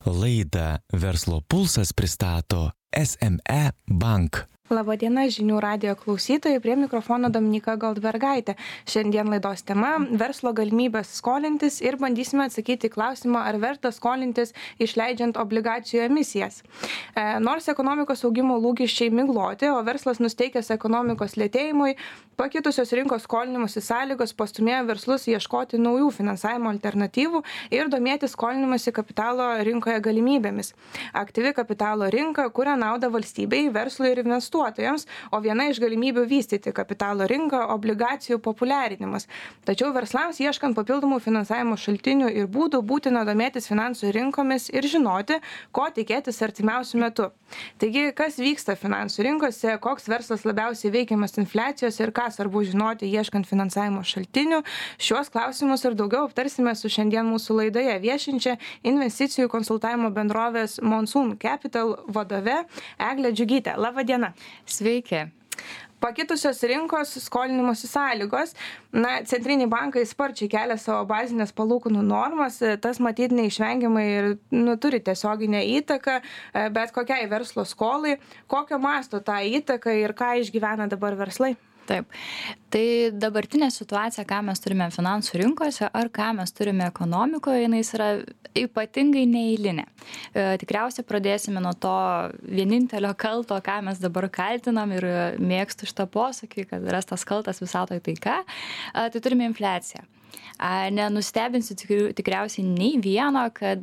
Laidą Verslo pulsas pristato SME Bank. Labadiena žinių radijo klausytojai, prie mikrofono Dominyka Goldbergaitė. Šiandien laidos tema – verslo galimybės skolintis ir bandysime atsakyti klausimą, ar verta skolintis išleidžiant obligacijų emisijas. Nors ekonomikos augimo lūkesčiai migloti, o verslas nusteikęs ekonomikos lėtėjimui, pakitusios rinkos skolinimusi sąlygos pastumėjo verslus ieškoti naujų finansavimo alternatyvų ir domėtis skolinimasi kapitalo rinkoje galimybėmis. Aktyvi kapitalo rinka kuria naudą valstybei, verslui ir investuotojams, o viena iš galimybių vystyti kapitalo rinką – obligacijų populiarinimas. Tačiau verslams ieškant papildomų finansavimo šaltinių ir būdų būtina domėtis finansų rinkomis ir žinoti, ko tikėtis artimiausiu metu. Taigi, kas vyksta finansų rinkose, koks verslas labiausiai veikiamas infliacijos ir ką svarbu žinoti ieškant finansavimo šaltinių, šiuos klausimus ir daugiau aptarsime su šiandien mūsų laidoje viešinčia investicijų konsultavimo bendrovės Monsoon Capital vadove Egle Džiugyte. Labą dieną. Sveiki. Pakitusios rinkos skolinimosi sąlygos. Centriniai bankai sparčiai kelia savo bazinės palūkanų normas, tas matyt neišvengiamai ir turi tiesioginę įtaką, bet kokiai verslo skolai, kokio masto tą įtaką ir ką išgyvena dabar verslai. Taip. Tai dabartinė situacija, ką mes turime finansų rinkose ar ką mes turime ekonomikoje, jinai yra ypatingai neeilinė. Tikriausiai pradėsime nuo to vienintelio kalto, ką mes dabar kaltinam ir mėgstu šitą posakį, kad rastas kaltas visatoje taika, tai turime infliaciją. Nenustebinsiu tikriausiai nei vieno, kad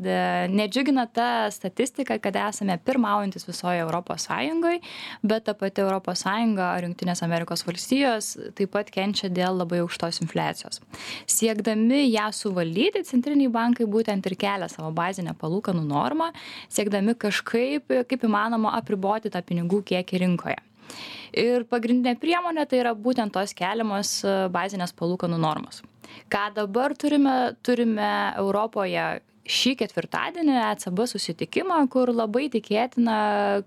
nedžiugina ta statistika, kad esame pirmaujantis visoje Europos Sąjungoje, bet ta pati Europos Sąjunga ar Jungtinės Amerikos valstijos taip pat kenčia dėl labai aukštos infliacijos. Siekdami ją suvaldyti, centriniai bankai būtent ir kelia savo bazinę palūkanų normą, siekdami kažkaip, kaip įmanoma, apriboti tą pinigų kiekį rinkoje. Ir pagrindinė priemonė tai yra būtent tos keliamos bazinės palūkanų normos. Ką dabar turime Europoje šį ketvirtadienį ECB susitikimą, kur labai tikėtina,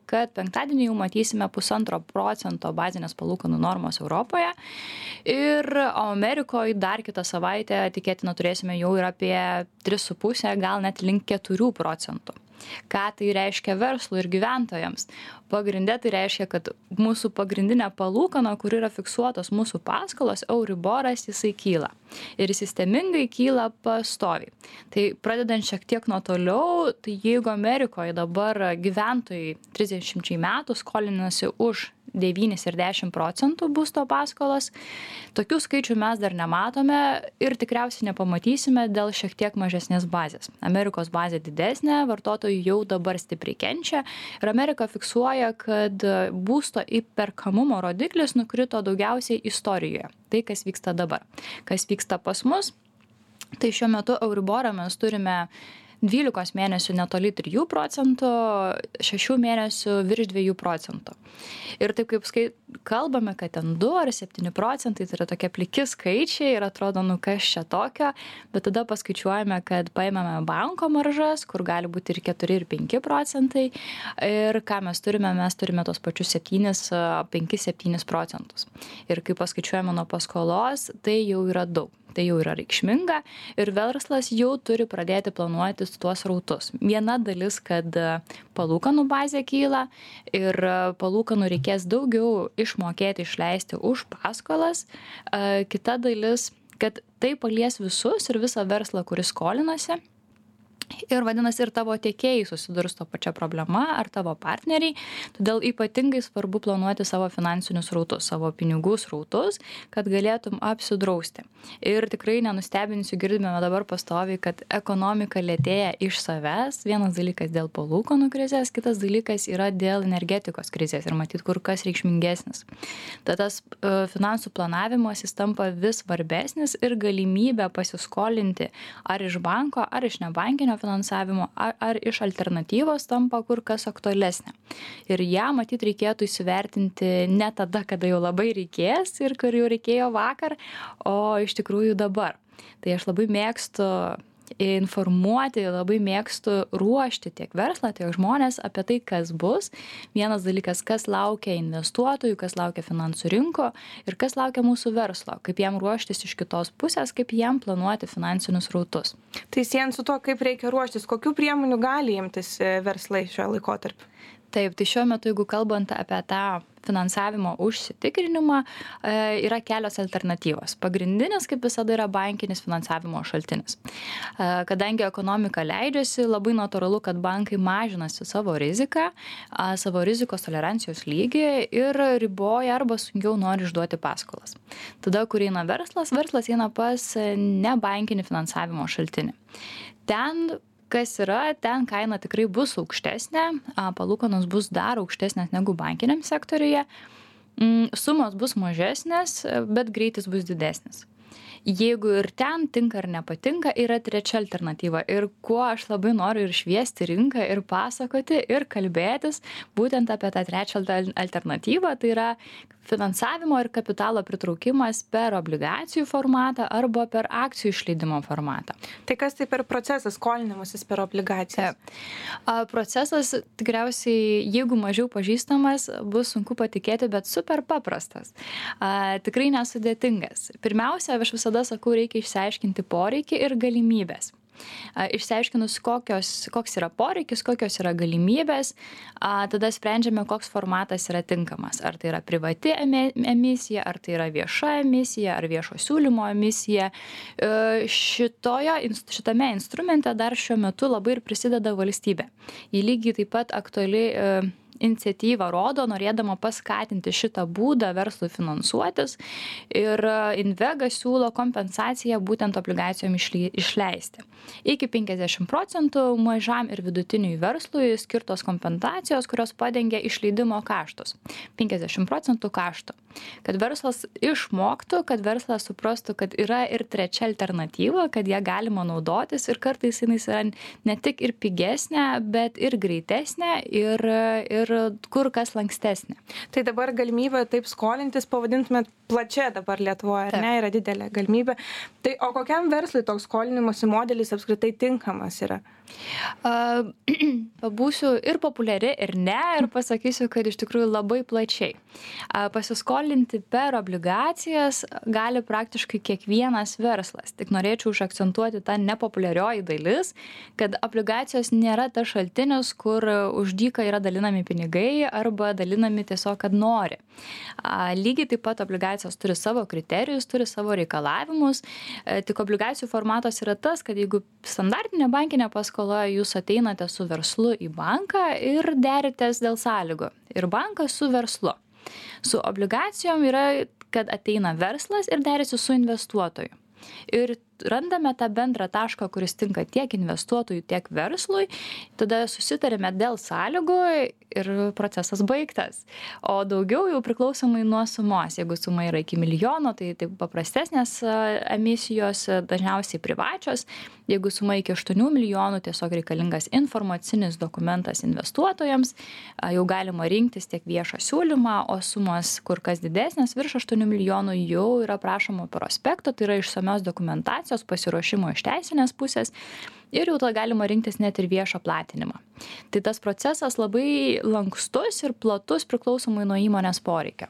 kad penktadienį jau matysime 1,5% bazinės palūkanų normos Europoje. Ir Amerikoje dar kitą savaitę tikėtina turėsime jau ir apie 3,5, gal net link 4%. Ką tai reiškia verslui ir gyventojams? Pagrinde tai reiškia, kad mūsų pagrindinė palūkana, kur yra fiksuotos mūsų paskolos, Euriboras, jisai kyla. Ir sistemingai kyla pastoviai. Tai pradedant šiek tiek nuo toliau, tai jeigu Amerikoje dabar gyventojai 30 metų skolinasi už 9 ir 10% būsto paskolas, tokių skaičių mes dar nematome ir tikriausiai nepamatysime dėl šiek tiek mažesnės bazės. Amerikos bazė didesnė, vartotojai jau dabar stipriai kenčia ir Amerika fiksuoja, kad būsto įperkamumo rodiklis nukrito daugiausiai istorijoje. Tai, kas vyksta dabar. Kas vyksta pas mus, tai šiuo metu Euriborą mes turime 12 mėnesių netoli 3%, 6 mėnesių virš 2%. Ir taip kaip kalbame, kad ten 2 ar 7%, tai yra tokie pliki skaičiai ir atrodo, kas čia tokio, bet tada paskaičiuojame, kad paimame banko maržas, kur gali būti ir 4 ir 5%. Ir ką mes turime tos pačius 5-7%. Ir kai paskaičiuojame nuo paskolos, tai jau yra daug. Tai jau yra reikšminga ir verslas jau turi pradėti planuoti tuos rautus. Viena dalis, kad palūkanų bazė kyla ir palūkanų reikės daugiau išmokėti, išleisti už paskolas. Kita dalis, kad tai palies visus ir visą verslą, kuris skolinasi. Ir vadinasi, ir tavo tiekėjai susidurs to pačia problema, ar tavo partneriai. Todėl ypatingai svarbu planuoti savo finansinius srautus, savo pinigų srautus, kad galėtum apsidrausti. Ir tikrai nenustebinsiu, girdime dabar pastoviai, kad ekonomika lėtėja iš savęs. Vienas dalykas dėl palūkanų krizės, kitas dalykas yra dėl energetikos krizės ir matyt kur kas reikšmingesnis. Tad tas finansų planavimas jis tampa vis svarbesnis ir galimybė pasiskolinti ar iš banko, ar iš nebankinio finansavimo, ar iš alternatyvos tampa kur kas aktualesnė. Ir ją matyt reikėtų įsivertinti ne tada, kada jau labai reikės ir kur jau reikėjo vakar, o iš tikrųjų dabar. Tai aš labai mėgstu informuoti, labai mėgstu ruošti tiek verslą, tiek žmonės apie tai, kas bus. Vienas dalykas, kas laukia investuotojų, kas laukia finansų rinko ir kas laukia mūsų verslo, kaip jam ruoštis iš kitos pusės, kaip jam planuoti finansinius rautus. Tai siejant su to, kaip reikia ruoštis, kokių priemonių gali imtis verslai šiuo laikotarpiu? Taip, tai šiuo metu, jeigu kalbant apie tą finansavimo užsitikrinimą, yra kelios alternatyvos. Pagrindinis, kaip visada, yra bankinis finansavimo šaltinis. Kadangi ekonomika leidžiasi, labai natūralu, kad bankai mažinasi savo riziką, savo rizikos tolerancijos lygį ir riboja arba sunkiau nori išduoti paskolas. Tada, kur eina verslas eina pas nebankinį finansavimo šaltinį. Ten kaina tikrai bus aukštesnė, palūkanos bus dar aukštesnės negu bankiniam sektoriuje, sumos bus mažesnės, bet greitis bus didesnis. Jeigu ir ten tinka ar nepatinka, yra trečia alternatyva. Ir kuo aš labai noriu ir šviesti rinką, ir pasakoti, ir kalbėtis būtent apie tą trečią alternatyvą, tai yra finansavimo ir kapitalo pritraukimas per obligacijų formatą arba per akcijų išleidimo formatą. Tai kas tai per procesas skolinimasis per obligacijas? Procesas tikriausiai, jeigu mažiau pažįstamas, bus sunku patikėti, bet super paprastas. Tikrai nesudėtingas. Pirmiausia, aš visada sakau, reikia išsiaiškinti poreikį ir galimybės. Išsiaiškinus, koks yra poreikis, kokios yra galimybės, tada sprendžiame, koks formatas yra tinkamas. Ar tai yra privati emisija, ar tai yra vieša emisija, ar viešo siūlymo emisija. Šitame instrumente dar šiuo metu labai ir prisideda valstybė. Ji lygiai taip pat aktuali iniciatyvą rodo, norėdama paskatinti šitą būdą verslui finansuotis, ir Invega siūlo kompensaciją būtent obligacijom išleisti. Iki 50% mažam ir vidutiniui verslui skirtos kompensacijos, kurios padengia išleidimo kaštus. 50% kaštų. Kad verslas išmoktų, kad verslas suprastų, kad yra ir trečia alternatyva, kad ją galima naudotis ir kartais jinai yra ne tik ir pigesnė, bet ir greitesnė ir kur kas lankstesnė. Tai dabar galimybė taip skolintis, pavadintumėt plačia dabar Lietuvoje, ar ne, yra didelė galimybė. Tai o kokiam verslui toks skolinimosi modelis apskritai tinkamas yra? Būsiu ir populiari, ir ne, ir pasakysiu, kad iš tikrųjų labai plačiai. Pasiskolinti per obligacijas gali praktiškai kiekvienas verslas. Tik norėčiau užakcentuoti tą nepopuliarioji dalis, kad obligacijos nėra tas šaltinis, kur už dyką yra dalinami pinigai arba dalinami tiesiog, kad nori. Lygiai taip pat obligacijos turi savo kriterijus, turi savo reikalavimus. Tik obligacijų formatas yra tas, kad jeigu standartinė bankinė paskola, jūs ateinate su verslu į banką ir deritės dėl sąlygų. Ir bankas su verslu. Su obligacijom yra, kad ateina verslas ir derisi su investuotoju. Ir randame tą bendrą tašką, kuris tinka tiek investuotojui, tiek verslui, tada susitarėme dėl sąlygų ir procesas baigtas. O daugiau jau priklausomai nuo sumos. Jeigu suma yra iki milijono, tai paprastesnės emisijos, dažniausiai privačios. Jeigu suma iki 8 milijonų, tiesiog reikalingas informacinis dokumentas investuotojams, jau galima rinktis tiek viešą siūlymą, o sumos kur kas didesnės, virš 8 milijonų jau yra prašoma prospekto, tai yra išsamios dokumentacijos, pasiruošimo iš teisinės pusės ir jau tada galima rinktis net ir viešą platinimą. Tai tas procesas labai lankstus ir platus priklausomai nuo įmonės poreikio.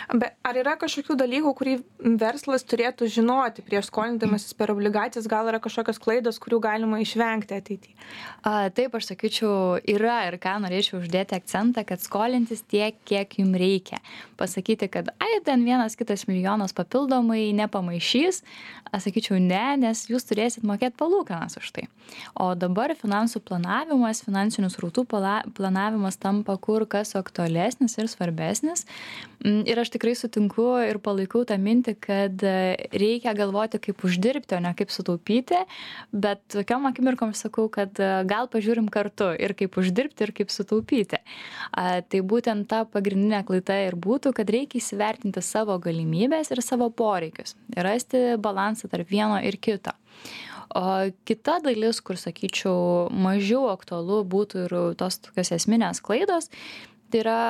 Bet ar yra kažkokių dalykų, kurį verslas turėtų žinoti prieš skolindamasis per obligacijas, gal yra kažkokios klaidos, kurių galima išvengti ateityje? Taip, aš sakyčiau, yra ir ką norėčiau uždėti akcentą, kad skolintis tiek, kiek jums reikia. Pasakyti, kad ten 1-2 milijonas papildomai nepamaišys, aš sakyčiau ne, nes jūs turėsit mokėti palūkanas už tai. O dabar finansų planavimas, finansinių srautų planavimas tampa kur kas aktualesnis ir svarbesnis. Ir aš tikrai sutinku ir palaikau tą mintį, kad reikia galvoti, kaip uždirbti, o ne kaip sutaupyti, bet tokiom akimirkom sakau, kad gal pažiūrim kartu ir kaip uždirbti, ir kaip sutaupyti. Tai būtent ta pagrindinė klaida ir būtų, kad reikia įsivertinti savo galimybės ir savo poreikius ir rasti balansą tarp vieno ir kito. O kita dalis, kur, sakyčiau, mažiau aktualu būtų ir tos tokios esminės klaidos, tai yra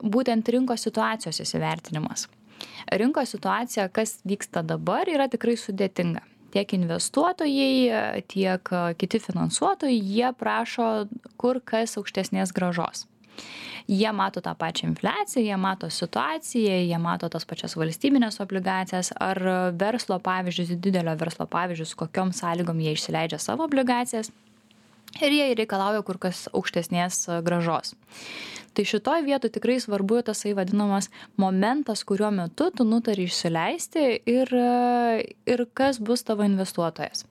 būtent rinkos situacijos įsivertinimas. Rinkos situacija, kas vyksta dabar, yra tikrai sudėtinga. tiek investuotojai, tiek kiti finansuotojai, jie prašo kur kas aukštesnės grąžos. Jie mato tą pačią infliaciją, jie mato situaciją, jie mato tas pačias valstybinės obligacijas ar verslo pavyzdžius, didelio verslo pavyzdžius, kokiom sąlygom jie išsileidžia savo obligacijas ir jie reikalauja kur kas aukštesnės grąžos. Tai šitoj vietoj tikrai svarbu tasai vadinamas momentas, kuriuo metu tu nutari išsileisti ir kas bus tavo investuotojas.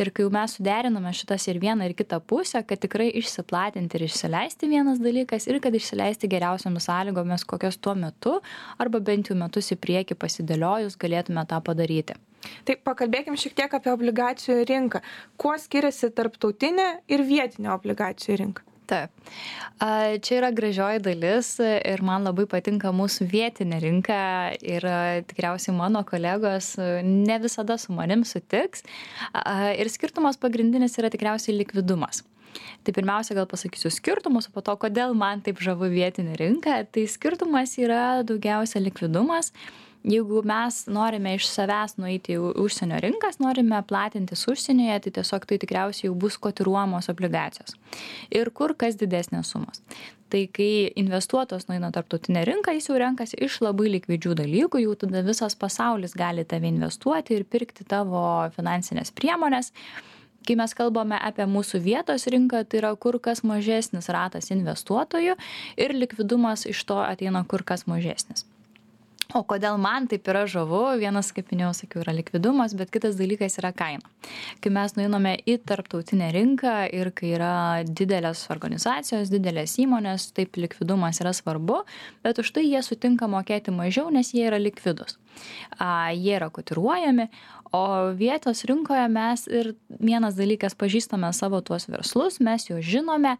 Ir kai jau mes suderiname šitas ir vieną ir kitą pusę, kad tikrai išsiplatinti ir išsileisti vienas dalykas ir kad išsileisti geriausiamis sąlygomis, kokios tuo metu arba bent jau metus į priekį pasidėliojus galėtume tą padaryti. Tai pakalbėkim šiek tiek apie obligacijų rinką. Kuo skiriasi tarptautinė ir vietinė obligacijų rinka? Taip. Čia yra gražioji dalis ir man labai patinka mūsų vietinė rinka ir tikriausiai mano kolegos ne visada su manim sutiks. Ir skirtumas pagrindinis yra tikriausiai likvidumas. Tai pirmiausia, gal pasakysiu skirtumus, o po to, kodėl man taip žavu vietinė rinka. Tai skirtumas yra daugiausia likvidumas. Jeigu mes norime iš savęs nueiti į užsienio rinkas, norime platintis užsienyje, tai tiesiog tai tikriausiai jau bus kotiruojamos obligacijos. Ir kur kas didesnės sumos. Tai kai investuotojas nueina tarptautinę rinką, jis jau renkasi iš labai likvidžių dalykų, jau tada visas pasaulis gali tave investuoti ir pirkti tavo finansinės priemonės. Kai mes kalbame apie mūsų vietos rinką, tai yra kur kas mažesnis ratas investuotojų ir likvidumas iš to ateina kur kas mažesnis. O kodėl man taip yra žavu, vienas, kaip minėjau, sakiau, yra likvidumas, bet kitas dalykas yra kaina. Kai mes nueiname į tarptautinę rinką ir kai yra didelės organizacijos, didelės įmonės, taip likvidumas yra svarbu, bet už tai jie sutinka mokėti mažiau, nes jie yra likvidus. Jie yra kotiruojami, o vietos rinkoje mes ir vienas dalykas pažįstame savo tuos verslus, mes juos žinome,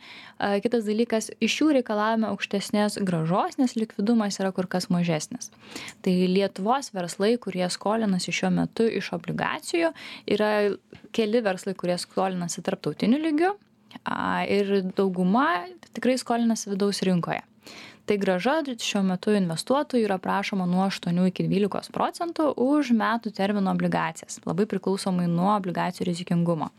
kitas dalykas iš jų reikalavome aukštesnės grąžos, nes likvidumas yra kur kas mažesnis. Tai Lietuvos verslai, kurie skolinasi šiuo metu iš obligacijų, yra keli verslai, kurie skolinasi tarptautiniu lygiu ir dauguma tikrai skolinasi vidaus rinkoje. Tai grąža šiuo metu investuotojų yra prašoma nuo 8 iki 12% už metų termino obligacijas, labai priklausomai nuo obligacijų rizikingumo.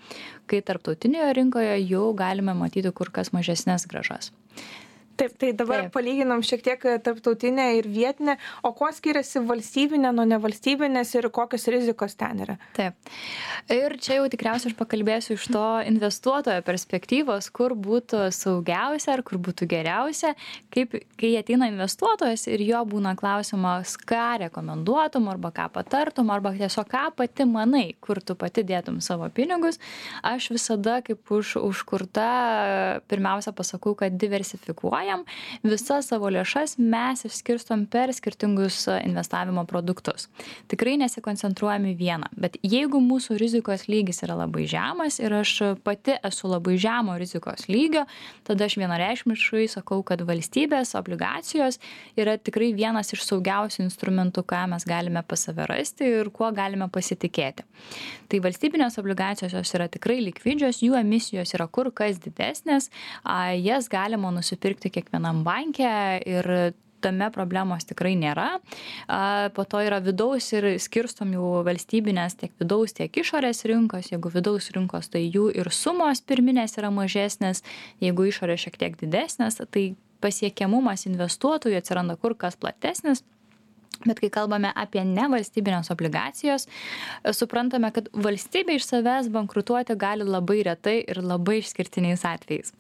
Kai tarptautinėje rinkoje jau galime matyti kur kas mažesnės grąžas. Taip, tai dabar palyginam šiek tiek tarptautinę ir vietinę, o kuo skiriasi valstybinė nuo nevalstybinės ir kokios rizikos ten yra? Taip. Ir čia jau tikriausiai aš pakalbėsiu iš to investuotojo perspektyvos, kur būtų saugiausia ar kur būtų geriausia, kai ateina investuotojas ir jo būna klausimas, ką rekomenduotum arba ką patartum arba tiesiog ką pati manai, kur tu pati dėtum savo pinigus. Aš visada kaip užkurta pirmiausia pasakau, kad diversifikuoja. Visas savo lėšas mes išskirstom per skirtingus investavimo produktus. Tikrai nesikoncentruojame vieną, bet jeigu mūsų rizikos lygis yra labai žemas ir aš pati esu labai žemo rizikos lygio, tada aš vienareikšmiškai sakau, kad valstybės obligacijos yra tikrai vienas iš saugiausių instrumentų, ką mes galime pas save rasti ir kuo galime pasitikėti. Tai valstybinės obligacijos jos yra tikrai likvidžios, jų emisijos yra kur kas didesnės, jas galima nusipirkti kiekvienam banke ir tame problemos tikrai nėra. Po to yra vidaus ir skirstom jau valstybinės tiek vidaus, tiek išorės rinkos. Jeigu vidaus rinkos, tai jų ir sumos pirminės yra mažesnės, jeigu išorės šiek tiek didesnės, tai pasiekiamumas investuotojų atsiranda kur kas platesnis. Bet kai kalbame apie nevalstybinės obligacijos, suprantame, kad valstybė iš savęs bankrutuoti gali labai retai ir labai išskirtiniais atvejais.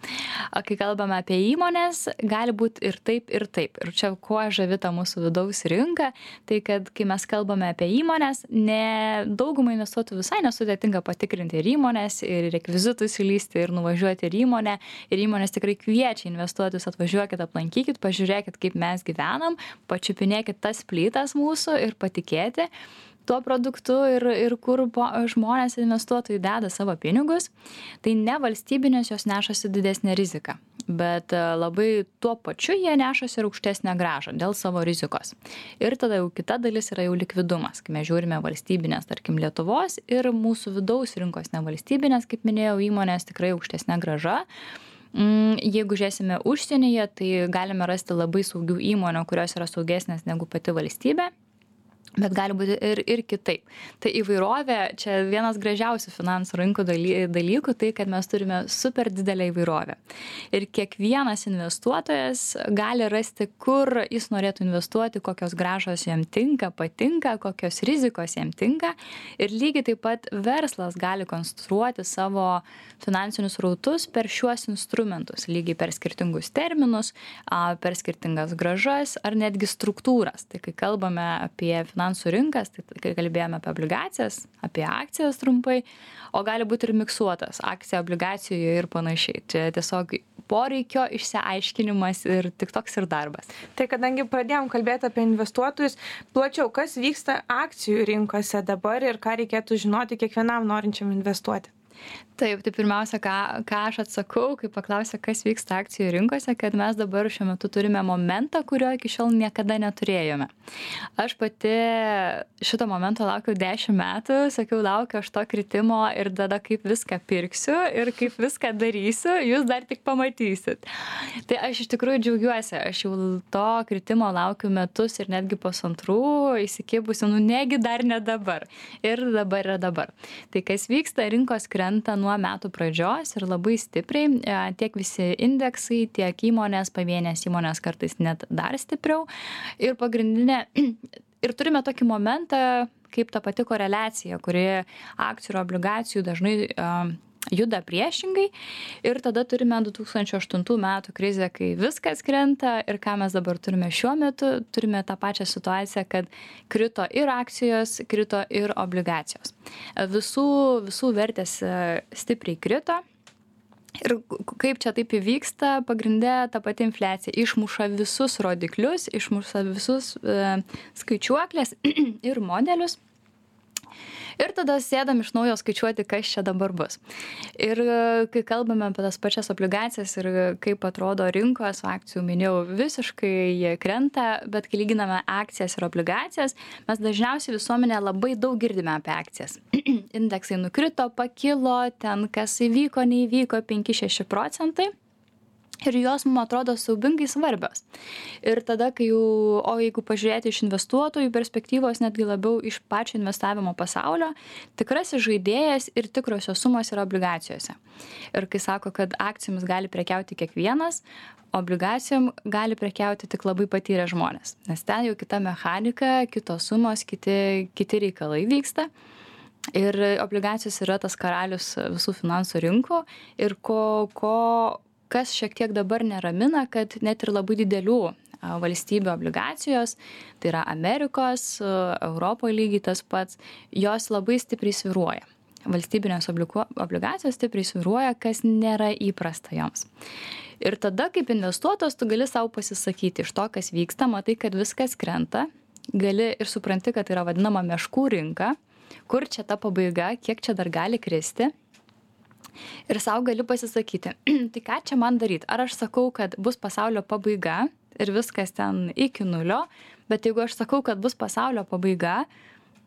O kai kalbame apie įmonės, gali būti ir taip, ir taip. Ir čia kuo žavita mūsų vidaus rinka, tai kad kai mes kalbame apie įmonės, daugumai investuotojų visai nesudėtinga patikrinti ir įmonės, ir rekvizitus įlysti, ir nuvažiuoti ir įmonę. Ir įmonės tikrai kviečia investuotojus, atvažiuokit, aplankykit, pažiūrėkit, kaip mes gyvenam, pačiupinėkit tas plytas mūsų ir patikėti tuo produktu ir kur žmonės investuotojai deda savo pinigus, tai nevalstybinės jos nešasi didesnę riziką, bet labai tuo pačiu jie nešasi ir aukštesnę grąžą dėl savo rizikos. Ir tada jau kita dalis yra jau likvidumas, kai mes žiūrime valstybinės, tarkim Lietuvos ir mūsų vidaus rinkos nevalstybinės, kaip minėjau, įmonės tikrai aukštesnė grąža. Jeigu žiūrėsime užsienyje, tai galime rasti labai saugių įmonių, kurios yra saugesnės negu pati valstybė. Bet gali būti ir kitaip. Tai įvairovė, čia vienas gražiausių finansų rinkų dalykų, tai kad mes turime super didelę įvairovę. Ir kiekvienas investuotojas gali rasti, kur jis norėtų investuoti, kokios grąžos jam tinka, patinka, kokios rizikos jam tinka. Ir lygiai taip pat verslas gali konstruoti savo finansinius srautus per šiuos instrumentus, lygiai per skirtingus terminus, per skirtingas grąžas ar netgi struktūras. Tai kai kalbame apie finansų rinkas, tai kai kalbėjome apie obligacijas, apie akcijas trumpai, o gali būti ir miksuotas akcija obligacijų ir panašiai. Čia tiesiog poreikio išsiaiškinimas ir tik toks ir darbas. Tai kadangi pradėjom kalbėti apie investuotojus, plačiau, kas vyksta akcijų rinkose dabar ir ką reikėtų žinoti kiekvienam norinčiam investuoti? Taip, tai pirmiausia, ką aš atsakau, kai paklausia, kas vyksta akcijų rinkose, kad mes dabar šiuo metu turime momentą, kurio iki šiol niekada neturėjome. Aš pati šito momento laukiau 10 metų, sakiau, laukiu aš to kritimo ir tada kaip viską pirksiu ir kaip viską darysiu, jūs dar tik pamatysit. Tai aš iš tikrųjų džiaugiuosi, aš jau to kritimo laukiu metus ir netgi pusantrų įsikibusiu, negi dar ne dabar. Ir dabar yra dabar. Tai kas vyksta, rinkos krenta nuo metų pradžios ir labai stipriai, tiek visi indeksai, tiek įmonės, pavienės įmonės kartais net dar stipriau. Ir pagrindinė, ir turime tokį momentą, kaip ta pati koreliacija, kuri akcijų ir obligacijų dažnai juda priešingai. Ir tada turime 2008 metų krizę, kai viskas krenta ir ką mes dabar turime šiuo metu, turime tą pačią situaciją, kad krito ir akcijos, krito ir obligacijos. Visų vertės stipriai krito. Ir kaip čia taip įvyksta, pagrindė ta pati infliacija išmuša visus rodiklius, išmuša visus skaičiuoklės ir modelius. Ir tada sėdam iš naujo skaičiuoti, kas čia dabar bus. Ir kai kalbame apie tas pačias obligacijas ir kaip atrodo rinkos, akcijų minėjau, visiškai jie krenta, bet kai lyginame akcijas ir obligacijas, mes dažniausiai visuomenė labai daug girdime apie akcijas. Indeksai nukrito, pakilo, ten kas įvyko, neįvyko 5-6%. Ir jos mums atrodo siaubingai svarbios. Ir tada, kai jau, o jeigu pažiūrėti iš investuotojų perspektyvos, netgi labiau iš pačio investavimo pasaulio, tikrasis žaidėjas ir tikrosios sumos yra obligacijose. Ir kai sako, kad akcijomis gali prekiauti kiekvienas, obligacijom gali prekiauti tik labai patyrę žmonės. Nes ten jau kita mechanika, kitos sumos, kiti reikalai vyksta. Ir obligacijos yra tas karalius visų finansų rinkų. Ir kas šiek tiek dabar neramina, kad net ir labai didelių valstybių obligacijos, tai yra Amerikos, Europoje lygiai tas pats, jos labai stipriai svyruoja. Valstybinės obligacijos stipriai svyruoja, kas nėra įprasta joms. Ir tada, kaip investuotojas, tu gali savo pasisakyti iš to, kas vyksta, matai, kad viskas krenta, gali ir supranti, kad tai yra vadinama meškų rinka, kur čia ta pabaiga, kiek čia dar gali kristi. Ir savo gali pasisakyti, tai ką čia man daryti? Ar aš sakau, kad bus pasaulio pabaiga ir viskas ten iki nulio, bet jeigu aš sakau, kad bus pasaulio pabaiga,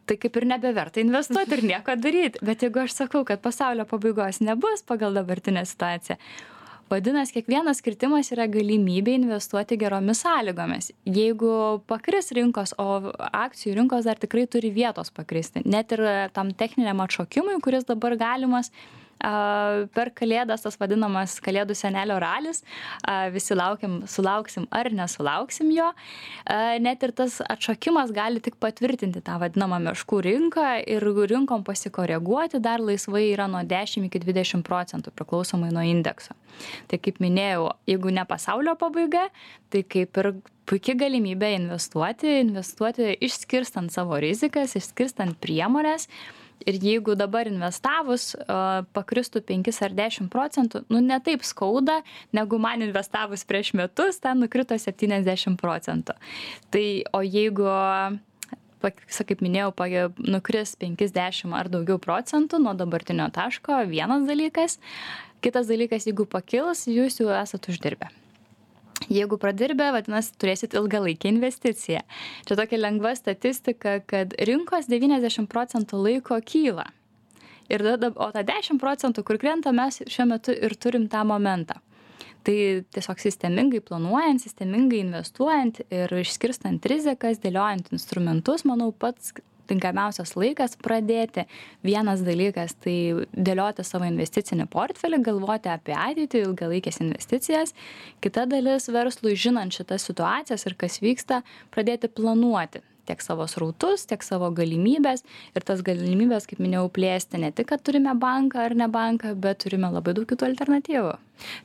tai kaip ir nebeverta investuoti ir nieko daryti. Bet jeigu aš sakau, kad pasaulio pabaigos nebus pagal dabartinę situaciją, vadinasi, kiekvienas kritimas yra galimybė investuoti geromis sąlygomis. Jeigu pakris rinkos, o akcijų rinkos dar tikrai turi vietos pakristi, net ir tam techniniam atšokimui, kuris dabar galimas, per kalėdas, tas vadinamas kalėdų senelio ralis, visi sulauksim ar nesulauksim jo, net ir tas atšokimas gali tik patvirtinti tą vadinamą meškų rinką ir rinkom pasikoreguoti dar laisvai yra nuo 10 iki 20% priklausomai nuo indekso. Tai kaip minėjau, jeigu ne pasaulio pabaiga, tai kaip ir puikia galimybė investuoti išskirstant savo rizikas, išskirstant priemonės. Ir jeigu dabar investavus pakristų 5 ar 10%, ne taip skauda, negu man investavus prieš metus, ten nukrito 70%. Tai, o jeigu, kaip minėjau, nukris 50 ar daugiau procentų nuo dabartinio taško, vienas dalykas. Kitas dalykas, jeigu pakils, jūs jau esat uždirbę. Jeigu pradirbę, vadinasi, turėsit ilgalaikę investiciją. Čia tokia lengva statistika, kad rinkos 90% laiko kyla. O tą 10%, kur krenta, mes šiuo metu ir turim tą momentą. Tai tiesiog sistemingai planuojant, sistemingai investuojant ir išskirstant rizikas, dėliojant instrumentus, manau, pats tinkamiausias laikas pradėti. Vienas dalykas - tai dėlioti savo investicinį portfelį, galvoti apie ateitį, ilgalaikės investicijas. Kita dalis - verslui, žinant šitas situacijas ir kas vyksta, pradėti planuoti tiek savo srautus, tiek savo galimybės. Ir tas galimybės, kaip minėjau, plėsti ne tik, kad turime banką ar ne banką, bet turime labai daug kitų alternatyvų.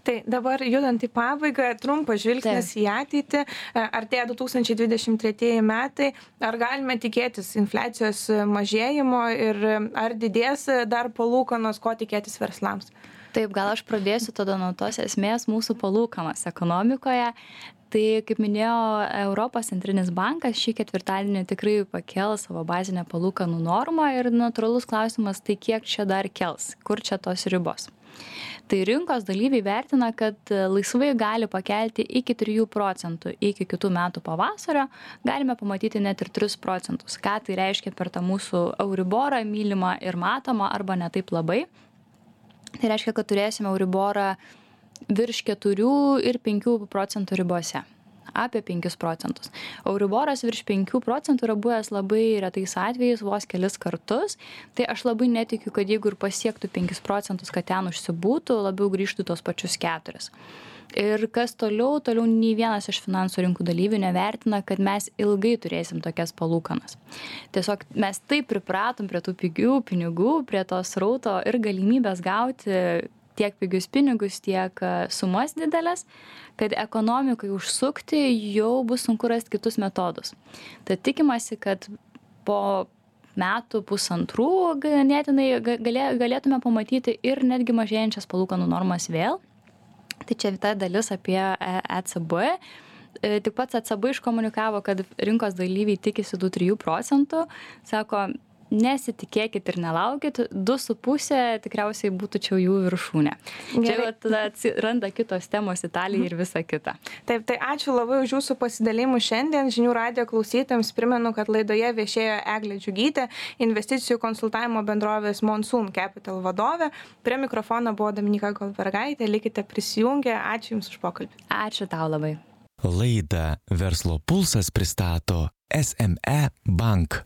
Tai dabar judant į pabaigą, trumpas žvilgsnis į ateitį. Artėja 2023 metai. Ar galime tikėtis infliacijos mažėjimo ir ar didės dar palūkanos, ko tikėtis verslams? Taip, gal aš pradėsiu tada nuo tos esmės mūsų palūkanos ekonomikoje. Tai, kaip minėjo Europos centrinis bankas, šį ketvirtadienį tikrai pakels savo bazinę palūkanų normą ir natūralus klausimas, tai kiek čia dar kels, kur čia tos ribos. Tai rinkos dalyviai vertina, kad laisvai gali pakelti iki 3% iki kitų metų pavasario, galime pamatyti net ir 3%. Ką tai reiškia per tą mūsų Euriborą, mylimą ir matomą, arba ne taip labai. Tai reiškia, kad turėsime Euriborą virš 4 ir 5% ribose. Apie 5%. Euriboras virš 5% yra buvęs labai retais atvejais, vos kelis kartus. Tai aš labai netikiu, kad jeigu ir pasiektų 5%, kad ten užsibūtų, labiau grįžtų tos pačius 4%. Ir kas toliau nei vienas iš finansų rinkų dalyvių nevertina, kad mes ilgai turėsim tokias palūkanas. Tiesiog mes taip pripratom prie tų pigių pinigų, prie to srauto ir galimybės gauti tiek pigius pinigus, tiek sumas didelės, kad ekonomikai užsukti jau bus sunku rasti kitus metodus. Tad tikimasi, kad po metų pusantrų ganėtinai galėtume pamatyti ir netgi mažėjančias palūkanų normas vėl. Tai čia ta dalis apie ECB. Tik pats ECB iškomunikavo, kad rinkos dalyviai tikisi 2-3%. Sako, nesitikėkit ir nelaukit, 2,5 tikriausiai būtų čia jų viršūnė. Čia tada randa kitos temos Italija ir visa kita. Taip, tai ačiū labai už jūsų pasidalimus šiandien. Žinių radijo klausytojams primenu, kad laidoje viešėjo Eglė Džiugytė, investicijų konsultavimo bendrovės Monsoon Capital vadovė. Prie mikrofono buvo Dominyka Goldbergaitė. Likite prisijungę. Ačiū Jums už pokalbį. Ačiū tau labai. Laidą Verslo pulsas pristato SME Bank.